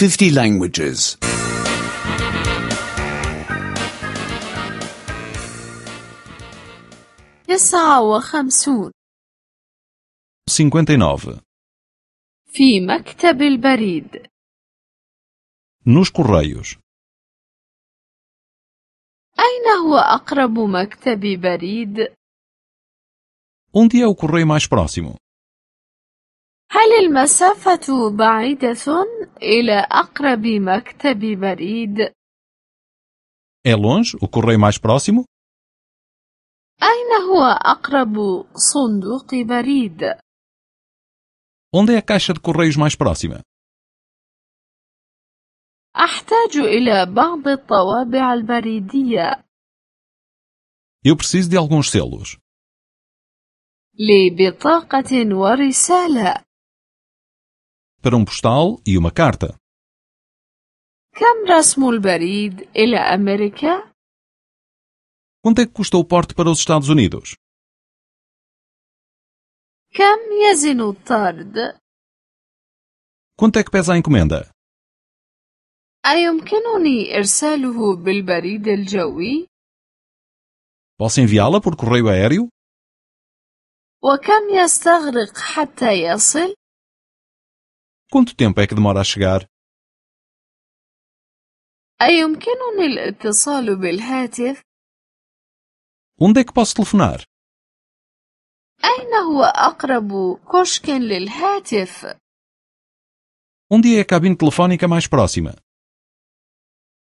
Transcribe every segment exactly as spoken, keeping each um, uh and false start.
fifty languages. تسعة وخمسون. cinquenta e nove. في مكتب البريد. Nos correios. أين هو أقرب مكتب بريد؟ Onde é o correio mais próximo? هل المسافة بعيدة إلى أقرب مكتب بريد؟ É longe o correio mais próximo? أين هو أقرب صندوق بريد؟ Onde é a caixa de correios mais próxima? أحتاج إلى بعض الطوابع البريدية. Eu preciso de alguns selos. لبطاقة ورسالة. Para um postal e uma carta. كم رسم البريد إلى أمريكا؟ Quanto é que custa o porte para os Estados Unidos? كم يزن الطرد؟ Quanto é que pesa a encomenda? أيمكنني إرساله بالبريد الجوي؟ Posso enviá-la por correio aéreo? وكم يستغرق حتى يصل؟ Quanto tempo é que demora a chegar? أيمكنني الاتصال بالهاتف؟ Onde é que posso telefonar? أين هو أقرب كشك للهاتف؟ Onde é a cabine telefónica mais próxima?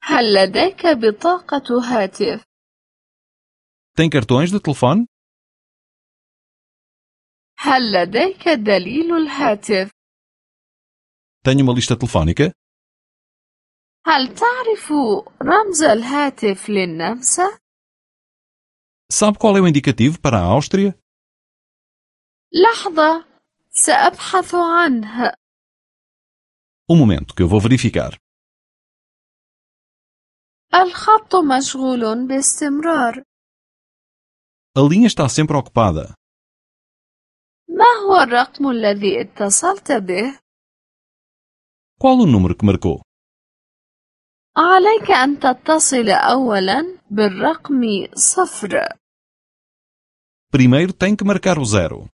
هل لديك بطاقة هاتف؟ Tem cartões de telefone? هل لديك دليل الهاتف؟ Tenho uma lista telefónica? هل تعرف رمز الهاتف للنمسا؟ Sabe qual é o indicativo para a Áustria? لحظة، سأبحث عنه. Um momento, que eu vou verificar. الخط مشغول باستمرار. A linha está sempre ocupada. ما هو الرقم الذي اتصلت به؟ Qual o número que marcou? عليك أن تتصل أولاً بالرقم صفر. Primeiro tem que marcar o zero.